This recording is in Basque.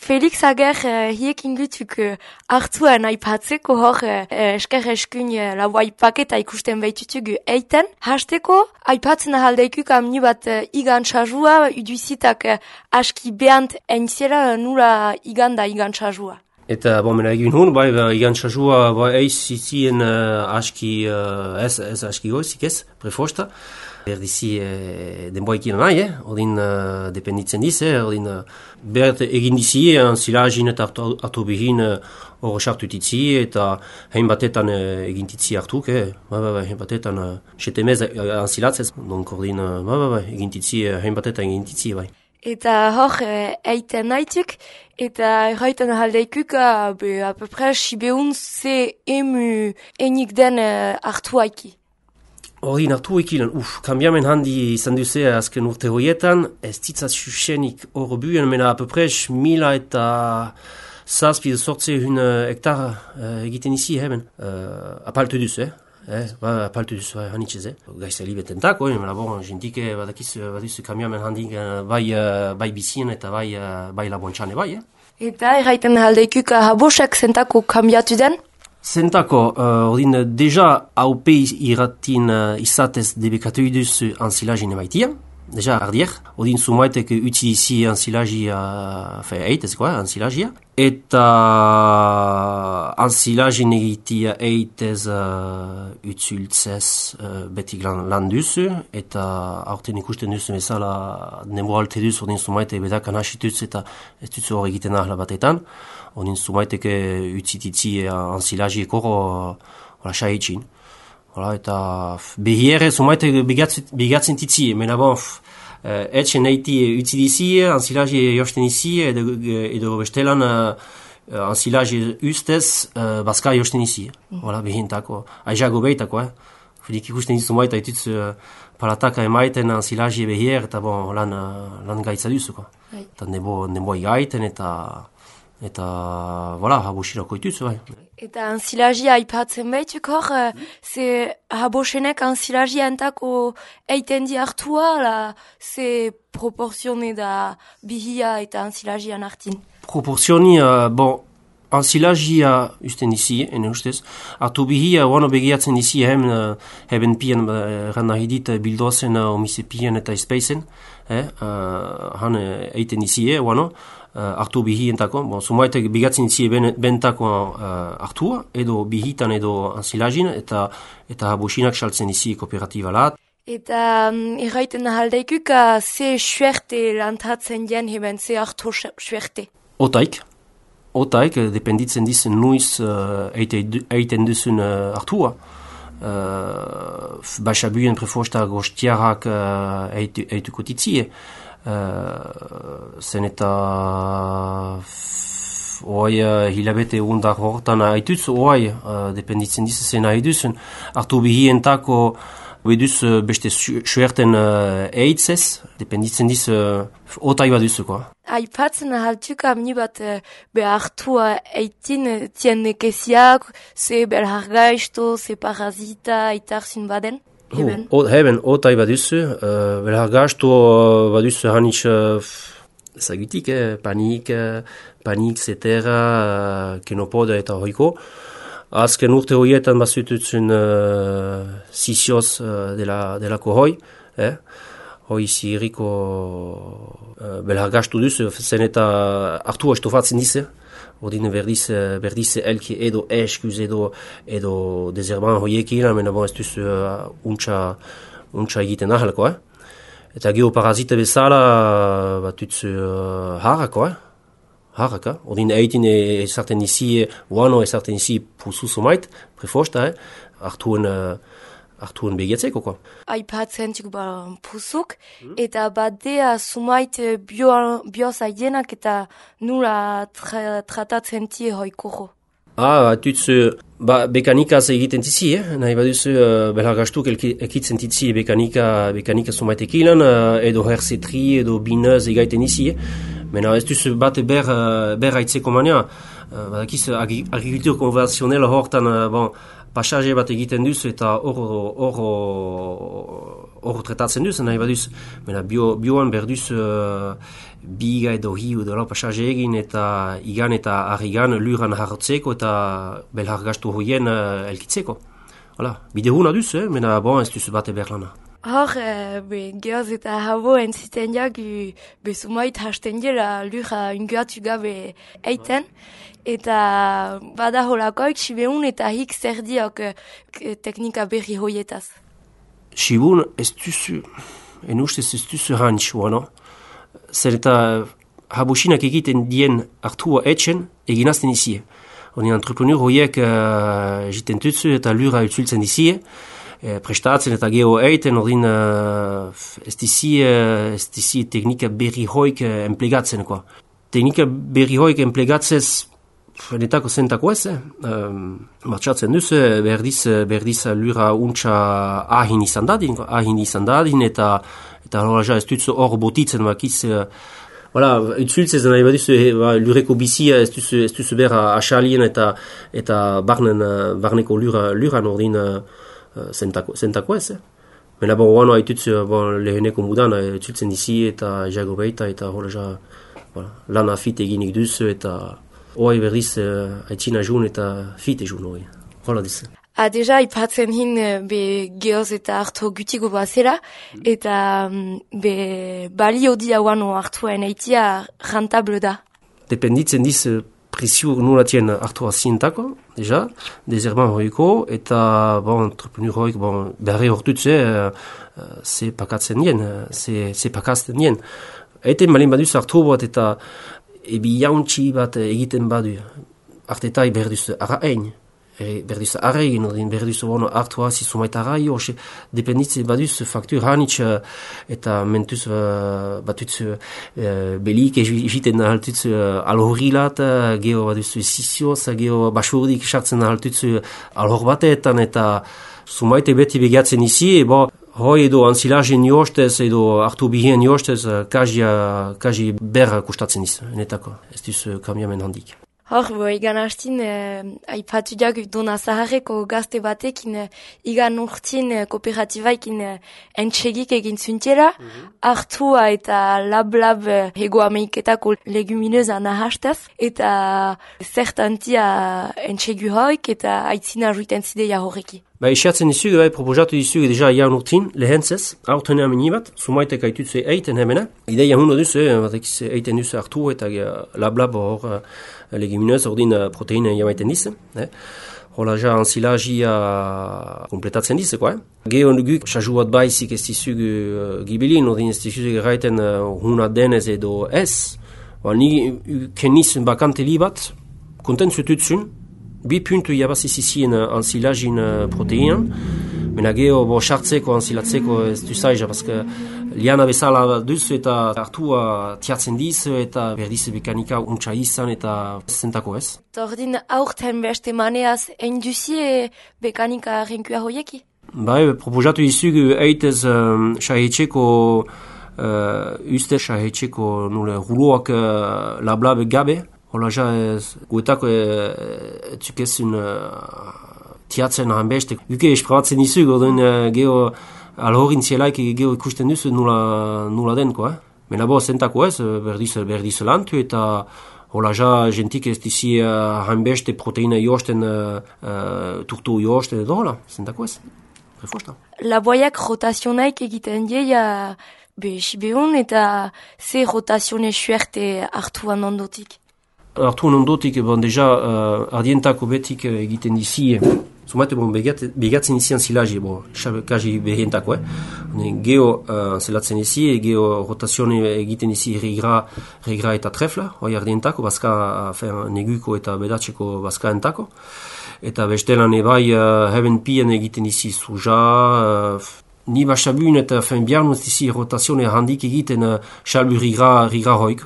Felix Ager hiekin gutuk hartuan aipatzeko hor esker eskun lauai paketa ikusten behitutugu eiten. Hasteko aipatzen ahaldeikuk amni bat igan txazua, uduizitak aski behant eintzera nula iganda igan txazua. Eta mena egin hun, bai igan txazua eiz zizien aski, ez aski goizik ez, prefosta. Berdizi denboekin nahi, odin dependitzen diz, odin bert egin dizi, anzilagin eta hartu behin hor sartutitzi, eta hein batetan egin titzi hartuk, hein batetan setemez anzilatzez, donk ordin egin titzi, hein batetan egin titzi, bai. Eta hor eiten nahituk, eta erraiten ahaldeikuk, apepres, sibeun ze emu enik den hartu haiki. Ordin hartu ekilen, kambiamen handi izan duze azken urte horietan, ez ditzat xuxenik hor buen, mena apepres 1000 eta zazpi sortze hun hektar egiten izi heben. Apaltu duzu, apaltu duzu hanitxez, gaizta libetentako, mena bon, jentike baduzu kambiamen handi bai bizien eta bai labontxane bai. Eta erraiten aldeikuk habosek zentako kambiatu den? Zentako, ordin, deja haupe irratin izatez debekatu duzu anzilagin emaitia, deja ardier, ordin sumaitek utilizi anzilagia, anzilagia, eta anzilagin egitia eitez utzultzez betik lan duzu, eta aurten ikusten duzu bezala denbo alte duzu, ordin sumaitek bedakan hasituz eta ez duzu hor egiten ahla batetan, ordin sumaiteke utzititzi anzilagiek hor saetxin. Eta behiere sumaitek bigatzen titzi, mena bon, etxen eiti utzidizi, anzilagi josten izi, edo bestelan anzilagi ustez, baska josten izi. Behintako, aizago behitako, Fidik ikusten dizu maita itutz palataka emaiten anzilagi behier, eta bon, lan gaitza duzuko. Eta nebo igaiten, eta voilà, habosirako itutz, bai. Eta anzilagia aipatzen behituk hor, ze habosenek anzilagia entako eiten di hartua, ze proporzione da bihia eta anzilagian hartin? Proporzioni, anzilagia usten dizi, ene ustez. Artu bihia, wano begiatzen dizi, heben pian, ranahidit bildozen omise pian eta espeizen, han eiten dizi, wano, hartu bihientako, sumaitek bigatzen dizi bentako hartua, edo bihitan edo anzilagin, eta habosinak saltzen dizi kooperatibalat. Eta erraiten ahaldeikuk, ze suerte lantatzen dien heben, ze hartu suerte? Otaik, dependitzen dizen nuiz eiten duzun hartua. Baxabuien prefosta gostiarrak eituko titzie. Zen eta hilabete undar hortan haituz, dependitzen dizen haiduzun. Hartu bihientako beduz beste suerten eitzez, dependitzen diz otai baduzuko. Aipatzen ahaltuk amni bat behartua eitin tien nekeziak, ze belhargaizto, ze parazita, itarzun baden? Heben, otai baduzu, belhargaizto baduzu hanitz ezagutik, panik, zetera, kenopoda eta horiko. Azken urte horietan bazututzen sisioz delako hoi, hoi ziriko belhargastu duzu, zen eta hartua estofatzen dize, ordine berdiz elki edo eskuz edo dezerban hoiekin, mena bon ez duzu untxa egiten ahalko, Eta geoparazite bezala batutzu harako, Haraka, ordin eitin ezarten dizi, wano ezarten dizi pusu sumait, prefosta, hartuen begiatzeko, ko. Aipatzen txuk pusuk, eta badea sumait biozaienak eta nula tratatzen tie hoikoro. Batutzu, bekanikaz egiten tizi, nahi baduzu belhargastuk ekitzen tizi bekanika sumaitek edo herzetri edo binez egaiten izi, Mena ez duzu bat ber haitzeko mania, badakiz agrikultur konvenzionela hortan pasaje bat egiten duzu eta hor tretatzen duzu, nahi baduz. Mena bioan berduz biga edo hiu edo pasaje egin eta igan eta arrigan luran hartzeko eta belhar gastu hoien elkitzeko. Hala, bide huna duzu, mena bon ez duzu bate berlana. Hor, geoz eta habo entziten jak, bezumait hasten dira lura unguatu gabe eiten, eta bada holakoik sibeun eta hik zer diok teknika berri hoietaz. Sibun ez duzu, en ustez ez duzu hantxua, no? Zer eta habusinak egiten dien hartua etxen eginazten izie. Honi entrepreneur hoiek jiten tutzu eta lura utzultzen izie, prestatzen eta geho eiten, ordin ez dizi teknika berri hoik emplegatzen. Teknika berri hoik emplegatzez netako zentako ez, martxatzen duz, berdiz lura untxa ahin izan dadin, eta horra ez dutzu hor botitzen bakiz, utzultzez nahi baduzu lureko bizia ez duzu berra asalien eta barneko luran ordin zentako ez. Mena bon, haitutzu leheneko mudan utzultzen dizi eta jago behita eta horra lana fit eginik duzu eta hoi berriz haitzina jun eta fit egun hoi. Hola dizu. Deja, ipatzen hin geoz eta hartu gutiko bazera, eta balio dia guano hartuaen eitia rentable da. Dependitzen diz presio nulatien hartua zientako, deja, dezerban hoiko, eta entrepreneur hoik berre hortutze ze pakatzen dien, ze pakazten dien. Eten malin baduz hartu bat eta ebi jauntxi bat egiten badu, artetai berduz ara ein. Berduz arregin, berduz hartua zizumaita arrai, dependitzen baduz faktur hanitz eta mentuz batutz belik egiten haltutz alhorilat, geho baduz zizioz, geho basurdik sartzen haltutz alhor batetan eta zumaite beti begatzen izi, hoi edo anzilajen jostez edo hartu bihien jostez kaji ber kustatzen izi, netako, ez duz kambiamen handik. Hor, igan hastin, aipatu jak dona zaharreko gazte batekin, igan urtin kooperatibaikin entxegik egin zuntera, hartua eta lab hego ameiketako legumineza nahastaz, eta zertantia entxegu hoik eta aitzina ruiten zideia horreki. Isiatzen dizugu, proposatu dizugu deja jaun urtin, lehentzez, aurtenea minibat, sumaitek aitutze eiten hemena. Ideia huno duzu, eiten duzu hartu eta lab hor leguminez, ordin proteine jamaiten dizu. Hola ja anzilajia kompletatzen dizu, Geho guk, saju bat baizik ez dizugu gibilin, ordin ez dizugu gaiten huna denez edo ez. Ni keniz bakante libat, kontent zututzun, 2 puntu jabazizizien anzilajin proteinan, mena geho sartzeko, anzilatzeko ez duzaiza, paske liana bezala duzu eta hartua tiatzen dizu eta berdiz mekanika untsa izan eta zentako ez. Ordin aurten beste maneaz induzie mekanika renkua hoieki? Proposatu dizugu eitez sahetxeko uste sahetxeko nule ruloak lablabe gabe. Hola ja, guetako etzukezun tiatzen hanbeste. Guke esprabatzen dizu, gordin geho alhorin zielaik geho ikusten duzu nula denko. Mena zentako ez, berdiz lantu eta hola ja, jentik ez dizi hanbeste proteina josten, turtu josten edo hola, zentako ez. Refosta. Laboiak rotazionaik egiten dieia sibeun eta ze rotazione suerte hartuan ondotik. Hartu ondotik, deja, ardientako betik egiten dizi, zumate begatzen izi anzilaji, kaji behientako, Geho zelatzen izi, geho rotazione egiten izi regra eta trefla, hoi ardientako, bazka neguko eta bedatzeko bazkaentako. Eta bestelan ebai heben pien egiten izi suja, ni basabun eta biarnuz dizi rotazione handik egiten salbu rigra hoik.